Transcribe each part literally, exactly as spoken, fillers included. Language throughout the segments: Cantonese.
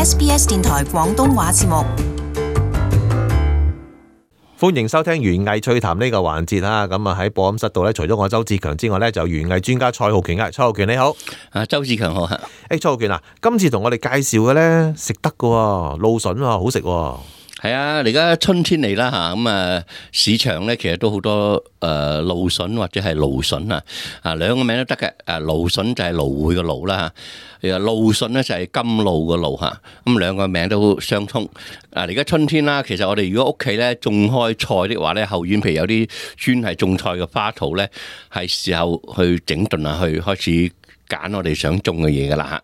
S B S 電台廣東話節目。歡迎收聽園藝趣談呢個環節啊！咁啊喺播音室度咧，除咗我周志強之外咧，就園藝專家蔡浩權啊，蔡浩權你好。啊，周志強好嚇。誒，蔡浩權啊，今次同我哋介紹嘅咧食得嘅喎，蘆筍喎，好食喎。係啊，而家春天嚟啦嚇，咁啊市場咧其實都好多誒蘆筍或者係蘆筍啊，啊兩個名都得嘅。誒蘆筍就係蘆薈嘅蘆啦嚇，誒蘆筍咧就係甘露嘅露嚇，咁兩個名都相通。啊而家春天啦，其實我哋如果屋企咧種開菜的話咧，後院譬如有啲專係種菜嘅花圃咧，係時候去整頓啊，去開始揀我哋想種嘅嘢噶啦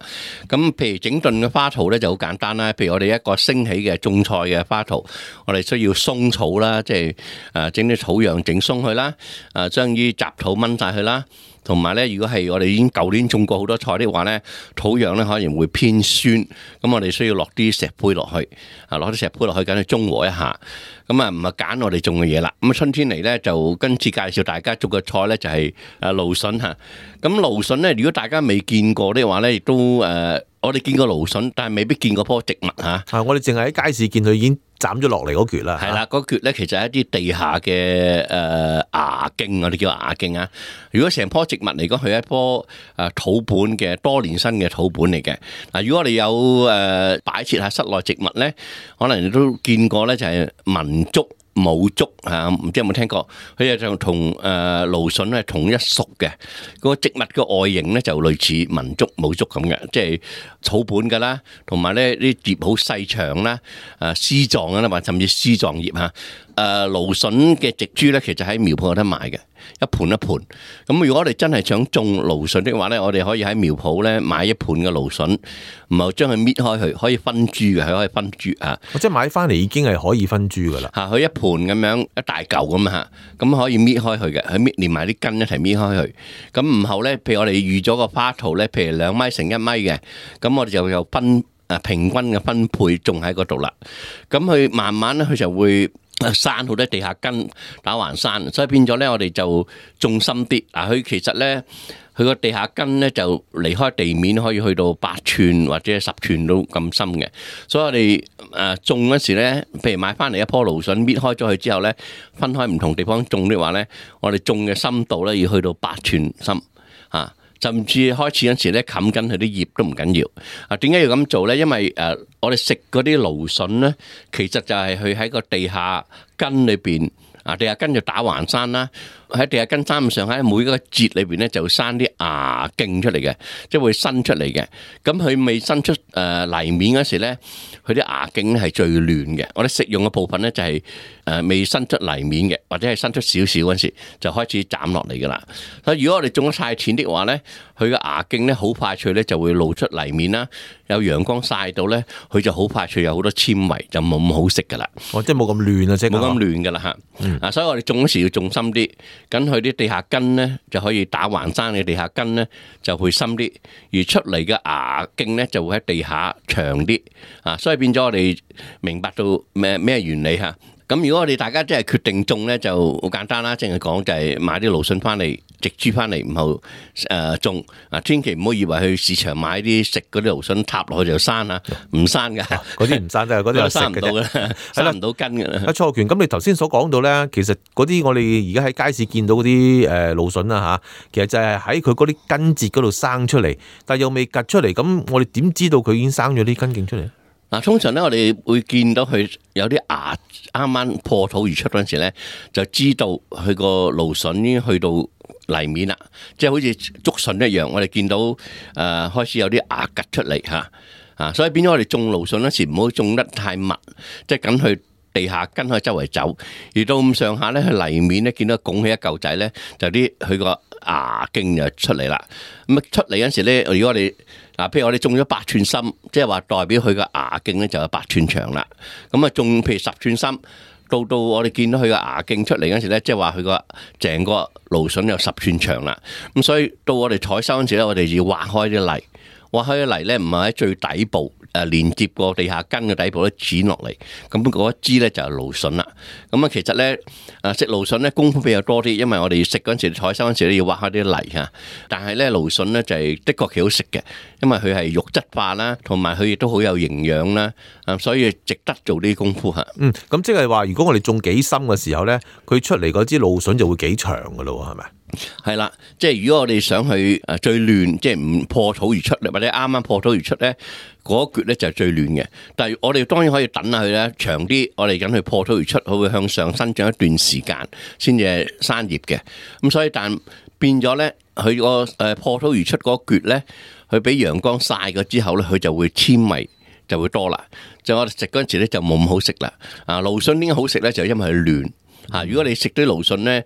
嚇，咁譬如整頓嘅花圃咧就好簡單啦。譬如我哋一個升起嘅種菜嘅花圃，我哋需要鬆草啦，即係誒整啲草樣整鬆佢啦，誒將啲雜土掹晒佢啦。同埋咧，如果係我哋已經舊年種過好多菜的話咧，土壤咧可能會偏酸，咁我哋需要落啲石灰落去，啊落啲石灰落去，緊去中和一下。咁啊唔係揀我哋種嘅嘢啦。咁啊春天嚟咧，就今次介紹大家種嘅菜咧就係誒蘆筍嚇。咁蘆筍咧，如果大家未見過的話咧，亦都誒我哋見過蘆筍，但係未必見過棵植物嚇。啊，我哋淨係喺街市見佢已經斬咗落嚟嗰橛啦。係啦，嗰橛咧其實係一啲地下嘅誒芽莖，我哋叫芽莖啊。如果成棵植物嚟講，佢係一棵誒土本嘅多年生嘅土本嚟嘅。嗱，如果我哋有誒擺設下室內植物咧，可能你都見過咧，就係文竹、武竹嚇，唔知有冇聽過？佢就同誒蘆筍係同一屬嘅。個植物嘅外形咧就類似文竹、武竹咁嘅，即係草本㗎啦，同埋咧啲葉好細長啦，誒絲狀㗎啦，或甚至絲狀葉嚇。誒蘆筍嘅植株咧，其實喺苗圃有得賣嘅，一盤一盤。咁如果我哋真係想種蘆筍的話咧，我哋可以喺苗圃咧買一盤嘅蘆筍，然後將佢搣開佢，可以分株嘅，佢可以分株啊。即係買翻嚟已經係可以分株噶啦。嚇，佢一盤咁樣一大嚿咁嚇，咁可以搣開佢嘅，佢搣連埋啲根一齊搣開佢。咁然後咧，譬如我哋預咗個花圃咧，譬如兩米乘一米嘅，咁我哋就有分誒平均嘅分配種喺嗰度啦。咁佢慢慢咧，佢就會生好多地下根打橫生，所以變咗咧，我哋就種深啲。嗱，佢其實咧，佢個地下根咧就離開地面可以去到八寸或者十寸都咁深嘅。所以我哋誒種嗰時咧，譬如買翻嚟一棵蘆筍，搣開咗佢之後咧，分開唔同地方種的話咧，我哋種嘅深度咧要去到八寸深嚇。甚至開始嗰時咧，冚緊佢啲葉都唔緊要。啊，點解要咁做咧？因為誒，我哋食嗰啲蘆筍咧，其實就係佢喺個地下根裏邊。啊，地下根就打橫生啦，喺地下根生咁上下，每一個節裏邊咧就生啲芽莖出嚟嘅，即係會伸出嚟嘅。咁佢未伸出誒泥面嗰時咧，佢啲芽莖咧係最嫩嘅。我哋食用嘅部分咧就係誒未伸出泥面嘅，或者係伸出少少嗰時就開始斬落嚟噶啦。所以如果我哋種得太淺的話咧，佢嘅芽莖咧好快脆咧就會露出泥面啦，有陽光曬到咧，佢就好快脆有好多纖維，就冇咁好食噶啦。哦，即係冇咁嫩啊，即係冇咁嫩噶啦嚇。嗯、啊，所以我哋種嗰時要種深啲，咁佢啲地下根咧就可以打橫生嘅地下根咧就會深啲，而出嚟嘅芽莖咧就會喺地下長啲。啊，所以變咗我哋明白到咩咩原理嚇。咁如果我哋大家真係決定種咧，就好簡單啦，淨係講就係買啲蘆筍翻嚟，植株翻嚟，然後誒種。啊，千祈唔好以為去市場買啲食嗰啲蘆筍插落去就生啊，唔生噶，嗰啲唔生得，嗰啲係生唔到嘅，生唔到根嘅。阿蔡浩權，咁你頭先所講到咧，其實嗰啲我哋而家喺街市見到嗰啲誒蘆筍啊嚇，其實就係喺佢嗰啲根節嗰度生出嚟，但係又未趌出嚟，咁我哋點知道佢已經生咗啲根莖出嚟？嗱，通常咧，我哋會見到佢有啲芽啱啱破土而出嗰陣時咧，就知道佢個蘆筍已經去到泥面啦，即係好似竹筍一樣。我哋見到誒、呃、開始有啲芽趌出嚟嚇啊，所以變咗我哋種蘆筍嗰時唔好種得太密，即係緊去地下根可以周圍走，而到咁上下咧，佢泥面咧見到拱起一嚿仔咧，就啲佢個芽莖就出嚟啦。咁出嚟嗰時咧，如果我哋嗱，譬如我哋種咗八寸深，即係話代表佢個芽莖咧就有八寸長啦。咁啊，種譬如十寸深，到到我哋見到佢個芽莖出嚟嗰時咧，即係話佢個成個蘆筍有十寸長啦。咁所以到我哋採收嗰時咧，我哋要挖開啲泥，挖開啲泥咧，唔係喺最底部誒連接過地下根嘅底部咧剪落嚟，咁嗰一支咧就係蘆筍啦。咁啊，其實咧誒食蘆筍咧功夫比較多啲，因為我哋食嗰陣時採收嗰陣時咧要挖開啲泥嚇。但係咧蘆筍咧就係的確幾好食嘅，因為佢係肉質化啦，同埋佢亦都好有營養啦，啊，所以值得做啲功夫嚇。嗯，咁即係話，如果我哋種幾深嘅時候咧，佢出嚟嗰支蘆筍就會幾長噶咯，係咪？係啦，即係如果我哋想去誒最嫩，即係唔破土而出，或者啱啱破土而出咧，嗰一橛咧就係最嫩嘅。但係我哋當然可以等下佢咧長啲，我哋等佢破土而出，佢會向上生長一段時間先至生葉嘅。咁所以但變咗咧，佢個誒破土而出嗰橛咧，佢俾陽光曬過之後咧，佢就會纖維就會多啦。就我哋食嗰陣時咧就冇咁好食啦。啊，蘆筍點解好食咧？就因為佢嫩嚇。如果你食啲蘆筍咧，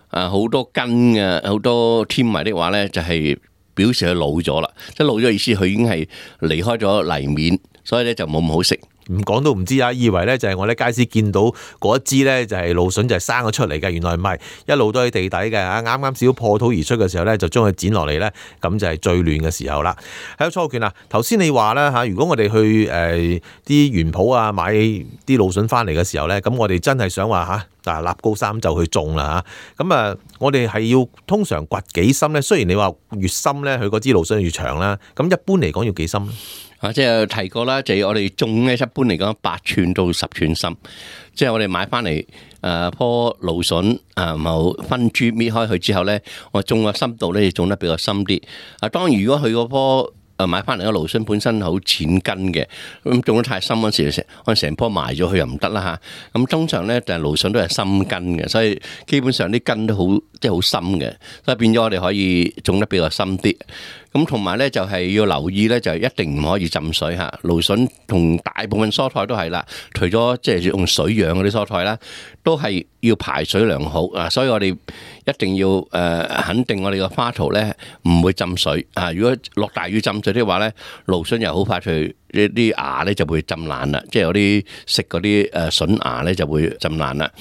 啊，好多根嘅，好多纖維的話咧，就係表示佢老咗啦。即係老咗意思，佢已經係離開咗泥面，所以咧就冇咁好食。唔講都唔知啊，以為咧就係我哋街市見到嗰一支咧就係蘆筍就係生咗出嚟嘅，原來唔係，一路都喺地底嘅啊！啱啱少破土而出嘅時候咧，就將佢剪落嚟咧，咁就係最嫩嘅時候啦。喺初權啊，頭先你話啦嚇，如果我哋去誒啲園圃啊買啲蘆筍翻嚟嘅時候咧，咁我哋真係想話嚇嗱立高三就去種啦嚇，咁啊我哋係要通常掘幾深咧？雖然你話越深咧，佢嗰支蘆筍越長啦，咁一般嚟講要幾深咧？啊，即係提過啦，就係我哋種咧，一般嚟講八寸到十寸深。即係我哋買翻嚟誒棵蘆筍啊，然後分株搣開佢之後咧，我種嘅深度咧，種得比較深啲。啊，當然如果佢嗰棵誒買翻嚟嘅蘆筍本身好淺根嘅，咁種得太深嗰時，成可能成棵埋咗佢又唔得啦嚇。咁通常咧就係蘆筍都係深根嘅，所以基本上啲根都好即係好深嘅，所以變咗我哋可以種得比較深啲。咁同埋咧就係要留意咧，就一定唔可以浸水嚇。蘆筍同大部分蔬菜都係啦，除咗即係用水養嗰啲蔬菜啦，都係要排水良好啊。所以我哋一定要誒肯定我哋個花槽咧唔會浸水啊。如果落大雨浸水的話咧，蘆筍又好快脆。呢啲芽咧就會浸爛啦，即係有啲食嗰啲誒筍芽咧就會浸爛啦。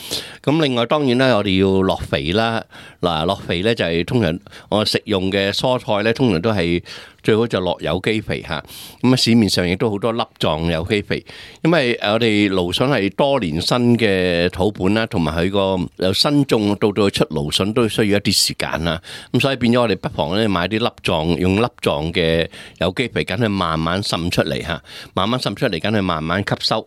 咁另外當然咧，我哋要落肥啦。嗱，落肥咧就係通常我食用嘅蔬菜咧，通常都係最好就落有機肥嚇。咁啊，市面上亦都好多粒狀有機肥，因為我哋蘆筍係多年生嘅土本啦，同埋佢個由新種到到出蘆筍都需要一啲時間啦。咁所以變咗我哋不妨咧買啲粒狀，用粒狀嘅有機肥，緊去慢慢滲出嚟嚇。慢慢滲出嚟，緊係慢慢吸收。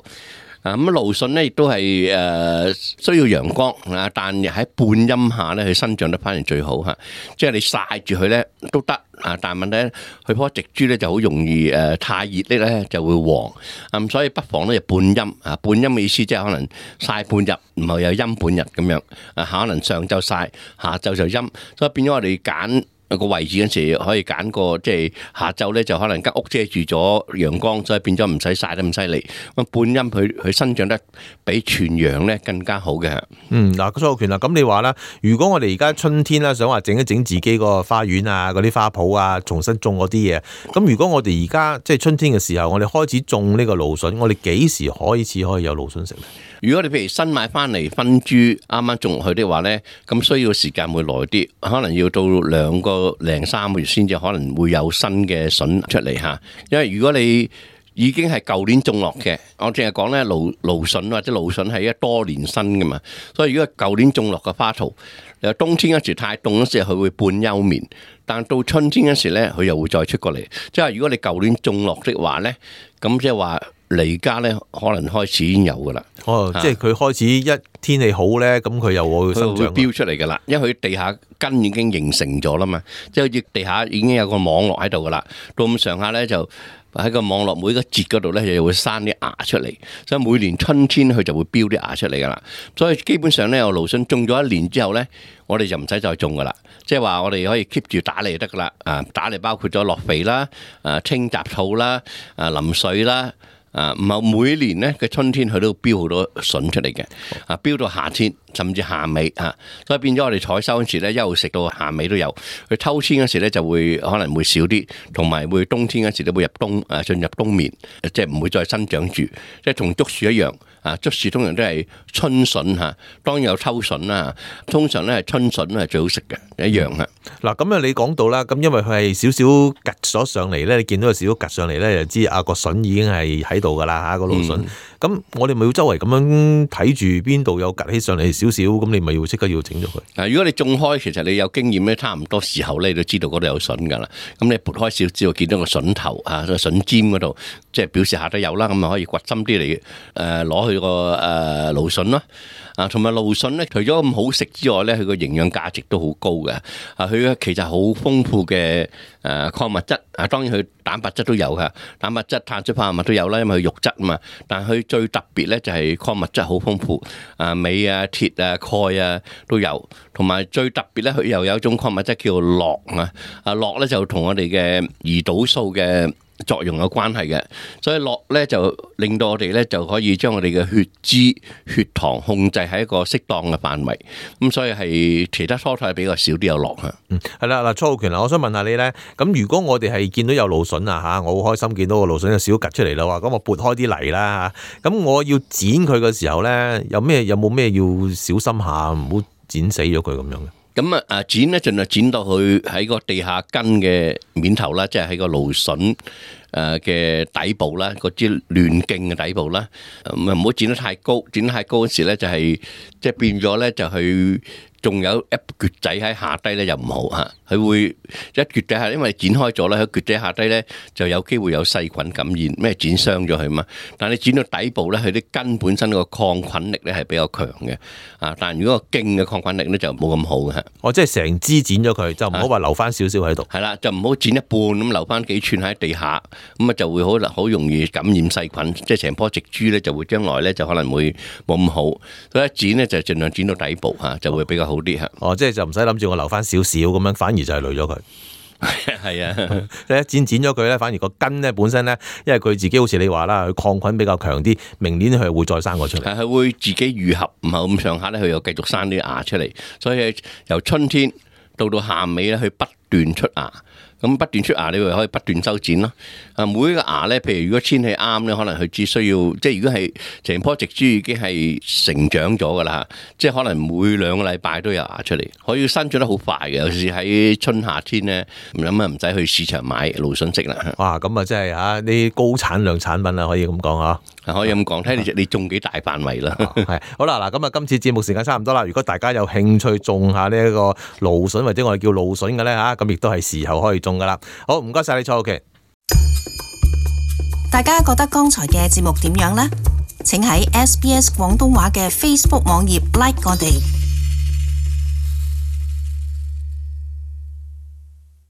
啊，咁蘆筍咧亦都係誒需要陽光啊，但係喺半陰下咧，佢生長得反而最好嚇。即係你曬住佢咧都得啊，但係問題咧，佢棵植株咧就好容易誒太熱啲咧就會黃。咁所以不妨咧就半陰啊，半陰嘅意思即係可能曬半日，唔係有陰半日咁樣啊，可能上晝曬，下晝就陰，所以變咗我哋揀個位置嗰時可以揀個即係下晝咧就可能間屋遮住咗陽光，所以變咗唔使曬得咁犀利。咁半陰佢佢生長得比全陽咧更加好嘅。嗯，嗱，蘇浩權啦，咁你話啦，如果我哋而家春天啦，想話整一整自己個花園啊，嗰啲花圃啊，重新種嗰啲嘢，咁如果我哋而家即係春天嘅時候，我哋開始種呢個蘆筍，我哋幾時開始可以有蘆筍食咧？如果你譬如新買翻嚟分株啱啱種落去的話咧，咁需要時間會耐啲，可能要到兩個零三個月先至可能會有新嘅筍出嚟嚇。因為如果你已經係舊年種落嘅，我淨係講咧蘆蘆筍或者蘆筍係一多年生嘅嘛，所以如果舊年種落嘅花槽，又冬天嗰時太凍嗰時佢會半休眠，但到春天嗰時咧佢又會再出過嚟。即係如果你舊年種落的話咧，咁即係話。嚟家咧，可能開始已經有噶啦。哦，即係佢開始一天氣好咧，咁佢又會生長，佢會飆出嚟噶啦。因為佢地下根已經形成咗啦嘛，即係好似地下已經有個網絡喺度噶啦。到咁上下咧，就喺個網絡每個節嗰度咧，又會生啲芽出嚟。所以每年春天佢就會飆啲芽出嚟噶啦。所以基本上咧，我蘆筍種咗一年之後咧，我哋就唔使再種噶啦。即係話我哋可以 keep 住打理就得噶啦。啊，打理包括咗落肥啦、啊清雜草啦、啊淋水啦。啊，唔係每年咧嘅春天佢都飆好多筍出嚟嘅，啊飆到夏天甚至夏尾嚇，所以變咗我哋採收嗰時咧，一路食到夏尾都有。佢秋天嗰時咧就會可能會少啲，同埋會冬天嗰時都會入冬誒進入冬眠，即係唔會再生長住，即係同竹樹一樣。啊，竹樹通常都係春筍嚇，當然有秋筍啦。通常咧係春筍係最好食嘅，一樣嚇。嗱，咁啊你講到啦，咁因為佢係少少趌咗上嚟咧，你見到有少少趌上嚟咧，就知啊個筍已經係喺度噶啦嚇，個蘆筍。咁、嗯、我哋咪要周圍咁樣睇住邊度有趌起上嚟少少，咁你咪要即刻要整咗佢。嗱，如果你種開，其實你有經驗咧，差唔多時候咧，你都知道嗰度有筍噶啦。咁你撥開少少，見到個筍頭啊，個筍尖嗰度，即係表示下都有啦。咁啊可以掘深啲嚟誒攞去個誒蘆筍咯。啊，同埋蘆筍咧，除咗咁好食之外咧，佢個營養價值都好高嘅。啊，佢其實好豐富嘅誒礦物質。啊，當然佢蛋白質都有㗎，蛋白質、碳水化合物都有啦，因為佢肉質啊嘛。但係佢最特別咧就係礦物質好豐富，啊鎂啊、鐵啊、鈣啊都有。同埋最特別咧，佢又有一種礦物質叫做鉻啊。啊鉻咧就同我哋嘅胰島素嘅作用有關係嘅，所以鉻咧就令到我哋咧就可以將我哋嘅血脂、血糖控制喺一個適當嘅範圍。咁所以係其他蔬菜比較少啲有鉻嚇。嗯，係啦，嗱，初浩權啊，我想問下你咧，咁如果我哋係見到有蘆筍啊嚇，我好開心見到個蘆筍有少少趌出嚟啦喎，咁我撥開啲泥啦嚇，咁我要剪佢嘅時候咧，有咩有冇咩要小心下，唔好剪死咗佢咁樣嘅？咁啊啊剪咧，盡量剪到去喺個地下根嘅面頭啦，即係喺個蘆筍誒嘅底部啦，嗰支嫩莖嘅底部啦，咁啊唔好剪得太高，剪得太高嗰時咧就係即係變咗咧就去。仲有一橛仔喺下低咧，又唔好嚇，佢會一橛仔下，因為剪開咗咧，佢橛仔下低咧就有機會有細菌感染，咩剪傷咗佢嘛。但係你剪到底部咧，佢啲根本身個抗菌力咧係比較強嘅，啊！但係如果個莖嘅抗菌力咧就冇咁好嘅。哦，即係成支剪咗佢，就唔好話留翻少少喺度。係啦，就唔好剪一半咁留翻幾寸喺地下，咁啊就會好好容易感染細菌，即係成棵植株咧就會將來咧就可能會冇咁好。所以一剪咧就盡量剪到底部嚇，就會比較好。哦，即係就唔使諗住我留翻少少咁樣，反而就係累咗佢。係啊，一剪剪咗佢咧，反而個根咧本身咧，因為佢自己好似你話啦，佢抗菌比較強啲，明年佢會再生個出嚟。係，佢會自己愈合，唔係咁上下咧，佢又繼續生啲芽出嚟。所以由春天到到夏尾咧，佢不斷出芽。咁不斷出芽，你咪可以不斷修剪咯。啊，每一個芽咧，譬如如果天氣啱咧，可能佢只需要，即係如果係成棵植株已經係成長咗噶啦，即係可能每兩個禮拜都有芽出嚟，可以生長得好快嘅。尤其是喺春夏天咧，咁啊唔使去市場買蘆筍食啦。哇，咁啊真係嚇啲高產量產品啦，可以咁講啊。可以咁講，睇你你種幾大範圍啦。係好啦，嗱咁啊，今次節目時間差唔多啦。如果大家有興趣種下呢一個蘆筍或者我哋叫蘆筍嘅咧嚇，咁亦都係時候可以種噶啦。好，唔該晒你，初浩權。大家覺得剛才嘅節目點樣呢？請喺 S B S 廣東話嘅 Facebook 網頁 like 我哋。